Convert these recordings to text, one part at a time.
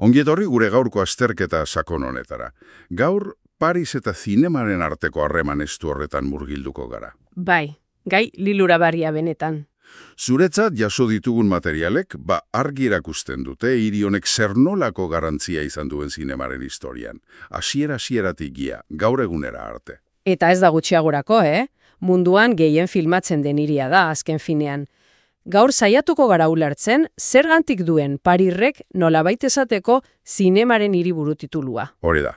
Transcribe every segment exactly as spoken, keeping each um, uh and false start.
Ongietorri gure gaurko azterketa sakon honetara. Gaur, Paris eta zinemaren arteko harreman estu horretan murgilduko gara. Bai, gai lilurabarria benetan. Zuretzat jaso ditugun materialek, ba argi erakusten dute hiri honek zer nolako garantzia izan duen zinemaren historian. Hasiera-hasieratik gia, gaur egunera arte. Eta ez da gutxiagorako, eh? Munduan gehien filmatzen den hiria da, azken finean. Gaur saiatuko gara ulertzen, zergantik duen Parirrek nolabait esateko zinemaren hiriburu titulua. Hori da.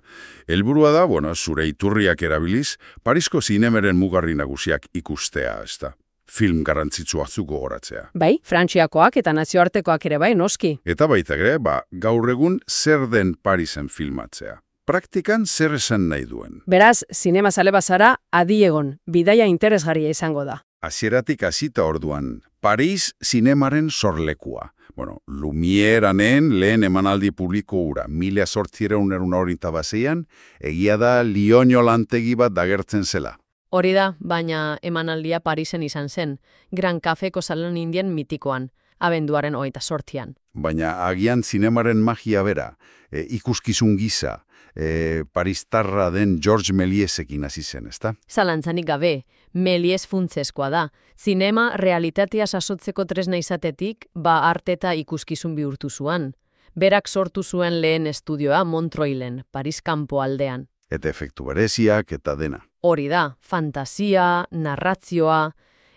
Helburua da, bueno, zure iturriak erabiliz, Parisko zinemaren mugarri nagusiak ikustea, ezta. Film garrantzitsu batzuk gogoratzea. Bai, Frantziakoak eta nazioartekoak ere bai, noski. Eta baita ere, ba, gaur egun zer den Parisen filmatzea. Praktikan zer esan nahi duen. Beraz, zinema zale bazara, adi egon, bidaia interesgarria izango da. Hasieratik hasita orduan, Paris zinemaren sorlekua. Bueno, Lumieranen lehen emanaldi publiko ura, mila sortzireun hogeita baseian, egia da Lioño lantegi bat dagertzen zela. Hori da, baina emanaldia Parisen izan zen, Gran Cafeko salon indien mitikoan, abenduaren hogeita sortzian. Baina agian zinemaren magia bera, e, ikuskizun gisa, e, paristarra den Georges Mélièsekin hasi zen, ezta? Zalantzanik gabe, Méliès funtzeskoa da. Zinema realitatea sasotzeko tresna izatetik, ba arte eta ikuskizun bihurtu zuan. Berak sortu zuen lehen estudioa Montreuilen, Paris kanpo aldean. Eta efektu bereziak eta dena. Hori da, fantasia, narrazioa,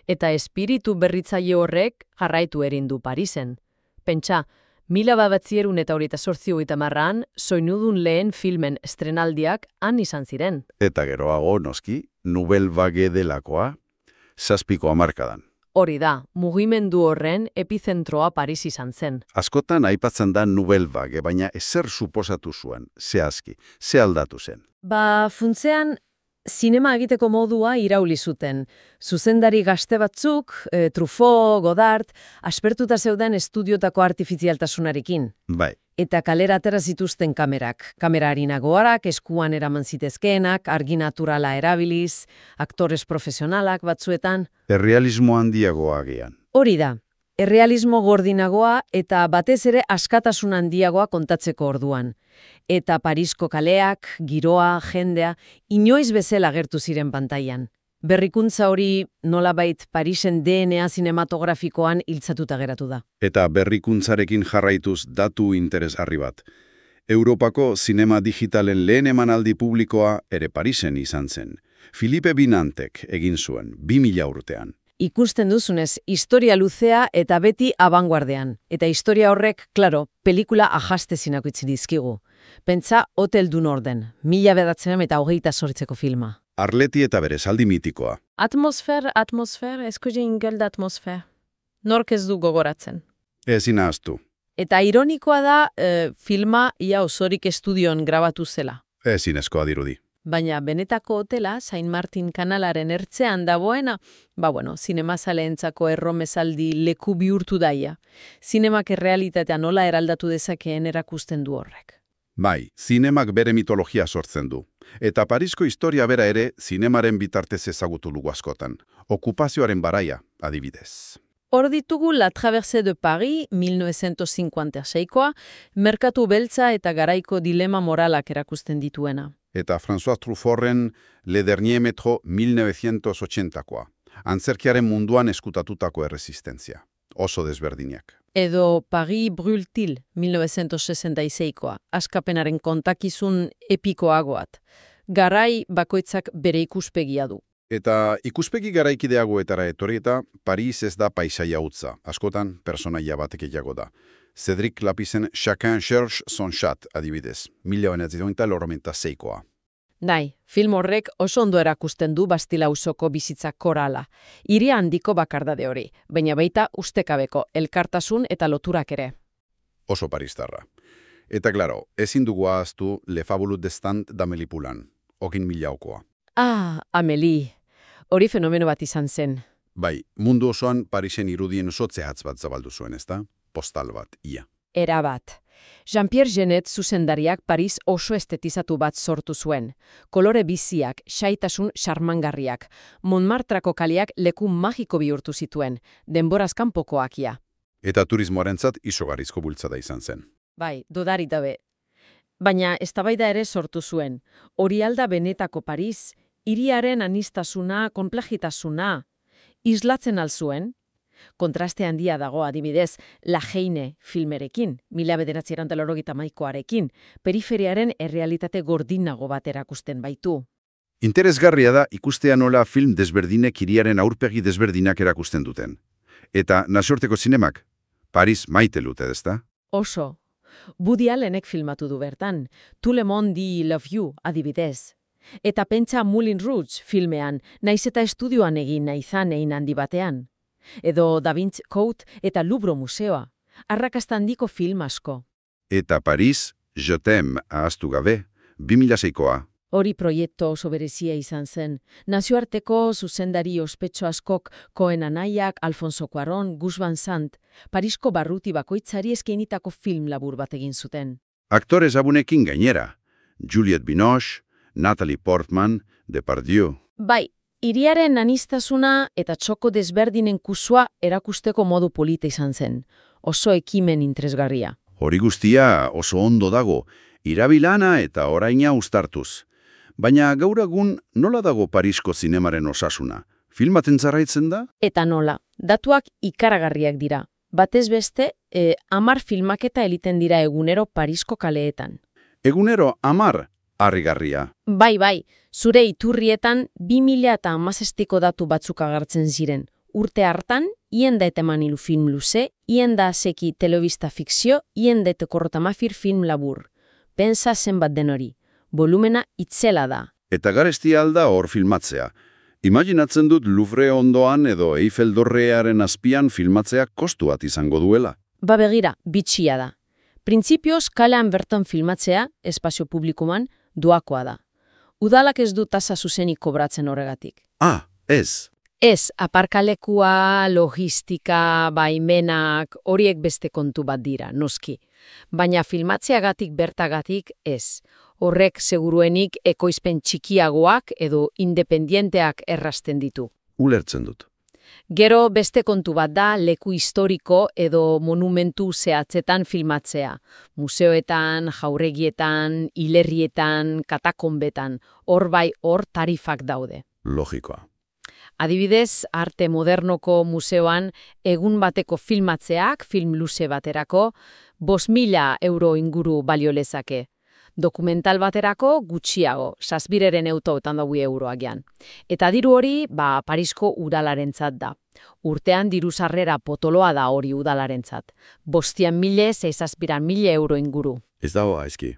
eta espiritu berritzaile horrek jarraitu erindu Parisen. Pentsa, mila babatzierun eta horita sortzi hogeita marran, soinudun lehen filmen estrenaldiak han izan ziren. Eta geroago, noski, Nouvelle Vague delakoa, zazpiko hamarkadan. Hori da, mugimendu horren epizentroa Paris izan zen. Askotan aipatzen da Nouvelle Vague, baina ezer suposatu zuen, zehazki, ze aldatu zen. Ba, funtzean, zinema egiteko modua irauli zuten. Zuzendari gazte batzuk, e, Truffaut, Godard, aspertuta zeuden estudiotako artifizialtasunarekin. Bai. Eta kalera atera zituzten kamerak. Kamera harinagoarak, eskuan eraman zitezkeenak, argi naturala erabiliz, aktores profesionalak batzuetan. Errealismo handiagoa agian. Hori da. Errealismo gordinagoa eta batez ere askatasun handiagoa kontatzeko orduan. Eta Parisko kaleak, giroa, jendea, inoiz bezala agertu ziren pantailan. Berrikuntza hori nolabait Parisen D N A zinematografikoan hiltzatuta geratu da. Eta berrikuntzarekin jarraituz datu interesgarri bat. Europako zinema digitalen lehen emanaldi publikoa ere Parisen izan zen. Philippe Binantek egin zuen, bi mila urtean. Ikusten duzunez, historia luzea eta beti abanguardean. Eta historia horrek, klaro, pelikula ahastezinak utzi dizkigu. Pentsa Hotel du Norden, mila bedatzen eta hogeita sortzeko filma. Arleti eta bere zaldi mitikoa. Atmosfer, atmosfer, eskuze ingel da atmosfer. Nork ez du gogoratzen. Ezin ahaztu. Eta ironikoa da, e, filma ia osorik estudioan grabatu zela. Ezin eskoa dirudi. Baina benetako hotela, Saint Martin kanalaren ertzean dagoena, ba bueno, zinemazaleentzako erromezaldi leku bihurtu daia. Zinemak errealitatea nola eraldatu dezakeen erakusten du horrek. Bai, zinemak bere mitologia sortzen du. Eta Parisko historia bera ere zinemaren bitartez ezagutu lugu askotan. Okupazioaren baraia, adibidez. Hor ditugu La Traversée de Paris, mila novecientos cincuenta y seikoa, merkatu beltza eta garaiko dilema moralak erakusten dituena. Eta François Truffauten Le Dernier Métro mila novecientos ochentakoa. Antzerkiaren munduan eskutatutako erresistentzia. Oso desberdinak. Edo Paris Brûle-t-il, mila novecientos sesenta y seikoa. Askapenaren kontakizun epikoagoat. Garai bakoitzak bere ikuspegia du. Eta ikuspegi garaikideagoetara etorri eta Paris ez da paisaia utza. Askotan personaia batek egiago da. Cédric Lapisen Chacun cherche son chat, adibidez, mila novecientos seikoa. Nai, film horrek oso ondo erakusten du Bastila auzoko bizitza korala. Hiri handiko bakardade hori, baina baita ustekabeko elkartasun eta loturak ere. Oso paristarra. Eta klaro, ezin dugu ahaztu Le Fabuleux destin d'Amélie Poulain, okin milaukoa. Ah, Amélie. Hori fenomeno bat izan zen. Bai, mundu osoan Parisen irudien sotzehatz bat zabaldu zuen, ezta? Postal bat, ia. Era bat. Jean-Pierre Jeunet zuzendariak Paris oso estetizatu bat sortu zuen. Kolore biziak, xaitasun xarmangarriak, Montmartrako kaleak leku magiko bihurtu zituen, denboraz kanpokoakia. Eta turismoarentzat izugarrizko bultzada izan zen. Bai, dudarik dabe. Baina eztabaida ere sortu zuen. Hori alda benetako Paris, hiriaren anistasuna, konplajitasuna, islatzen alzuen. Kontraste handia dago adibidez, La Heine filmerekin, mila bederatziehun eta laurogeita hamaikarekin, periferiaren errealitate gordinago bat erakusten baitu. Interesgarria da ikustea nola film desberdinek hiriaren aurpegi desberdinak erakusten duten. Eta nazioarteko zinemak, Paris maite lute, ezta? Oso. Woody Allenek filmatu du bertan, Tout le monde dit love you adibidez. Eta pentsa Moulin Rouge filmean, naiz eta estudioan egin naizan egin handi batean. Edo Da Vinci Code eta Louvre museoa, arrakasta handiko film asko. Eta Paris, Je t'aime ahaztu gabe, bi mila seikoa. Hori proiektu oso berezia izan zen. Nazioarteko zuzendari ospetsu askok Cohen anaiak, Alfonso Cuarón, Gus Van Sant, Parisko barruti bakoitzari eskainitako film labur bat egin zuten. Aktore ezagunekin gainera, Juliette Binoche, Natalie Portman, Depardieu. Bai, hiriaren anistasuna eta txoko desberdinen kusua erakusteko modu polita izan zen. Oso ekimen interesgarria. Hori guztia oso ondo dago, irabilana eta oraina uztartuz. Baina gaur egun nola dago Parisko zinemaren osasuna? Filmaten zarraitzen da? Eta nola, datuak ikaragarriak dira. Batez beste, e, amar filmaketa eliten dira egunero Parisko kaleetan. Egunero amar harrigarria. Bai, bai, zure iturrietan bi mila eta hamazazpiko datu batzuk agertzen ziren. Urte hartan, hien da eteman ilu film luze, hien da seki telebista fikzio, hien da etekorrotamafir film labur. Pensa zenbat den hori. Volumena itzela da. Eta garestia alda hor filmatzea. Imaginatzen dut Louvre ondoan edo Eiffel dorrearen azpian filmatzea kostu bat izango duela. Ba begira, bitxia da. Printzipioz kalean bertan filmatzea, espazio publikuman, doakoa da. Udalak ez du tasa zuzenik kobratzen horregatik. Ah, ez. Ez, aparkalekua, logistika, baimenak, horiek beste kontu bat dira, noski. Baina filmatzeagatik bertagatik ez. Horrek seguruenik ekoizpen txikiagoak edo independienteak errasten ditu. Ulertzen dut. Gero beste kontu bat da leku historiko edo monumentu zehatzetan filmatzea. Museoetan, jauregietan, hilerrietan, katakonbetan, hor bai hor tarifak daude. Logikoa. Adibidez, arte modernoko museoan egun bateko filmatzeak, film luze baterako, bost mila euro inguru balio lezake. Dokumental baterako gutxiago, sasbireren eutoetan dago euroagian. Eta diru hori, ba, Parisko udalarentzat da. Urtean diru sarrera potoloa da hori udalarentzat. Bostian mile, zeizazpiran mile euro inguru. Ez dago aizki.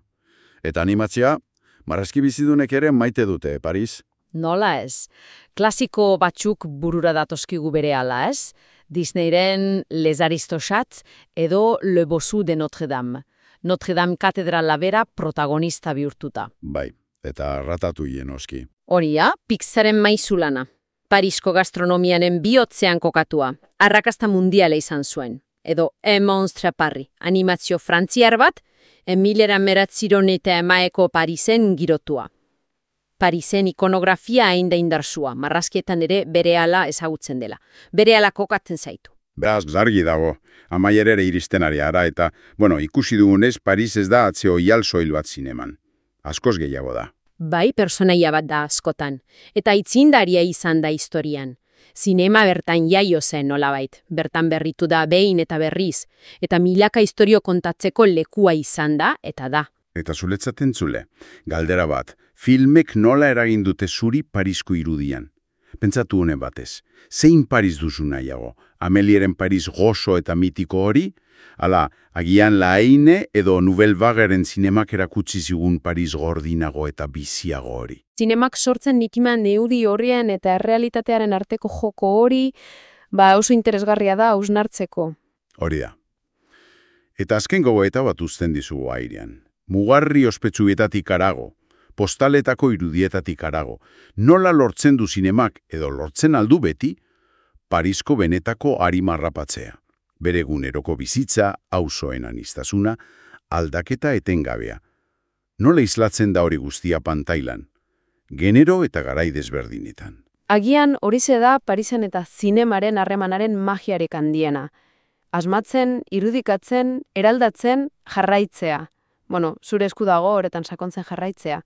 Eta animatzea, marrazki bizidunek ere maite dute, Paris? Nola ez? Klasiko batzuk burura datozkigu berehala ez? Disneyren Les Aristochats edo Le Bossu de Notre Dame. Notre Dame katedrala bera protagonista bihurtuta. Bai, eta ratatuien oski. Horia, Pixaren maizulana. Parisko gastronomianen bihotzean kokatua. Arrakasta mundiala izan zuen. Edo Un monstre à Paris, animazio frantziar bat, Emilera Meratziron eta emaeko Parisen girotua. Parisen ikonografia hain da indarsua, marrazkietan ere berehala ezagutzen dela. Berehala kokatzen zaitu. Beraz, zargi dago, amaierere iristen ari ara, eta, bueno, ikusi dugunez, Paris ez da atzeo ial soil bat zineman. Askoz gehiago da. Bai, personaia bat da askotan, eta itzindaria izan da historian. Zinema bertan jaio zen nolabait, bertan berritu da behin eta berriz, eta milaka historio kontatzeko lekua izan da, eta da. Eta zuletzaten zule, galdera bat, filmek nola eragin dute zuri Parisko irudian? Pentsatu honen batez, zein Paris duzu nahiago? Amelieren Paris gozo eta mitiko hori? Hala, agian La Heine edo Nouvelle Vagueren zinemak erakutsi zigun Paris gordinago eta biziago hori. Zinemak sortzen nikiman neudi horien eta errealitatearen arteko joko hori, ba oso interesgarria da hausnartzeko. Hori da. Eta azken gogoeta bat uzten dizugu airean. Mugarri ospetsuetatik arago, postaletako irudietatik arago, nola lortzen du zinemak edo lortzen aldu beti, Parisko benetako arimarrapatzea. Bere eguneroko bizitza, auzoen aniztasuna, aldaketa etengabea. Nola islatzen da hori guztia pantailan? Genero eta garai desberdinetan. Agian horize da Parisen eta zinemaren harremanaren magiarik handiena. asmatzen, irudikatzen, eraldatzen, jarraitzea. Bueno, zure esku dago horretan sakontzen jarraitzea.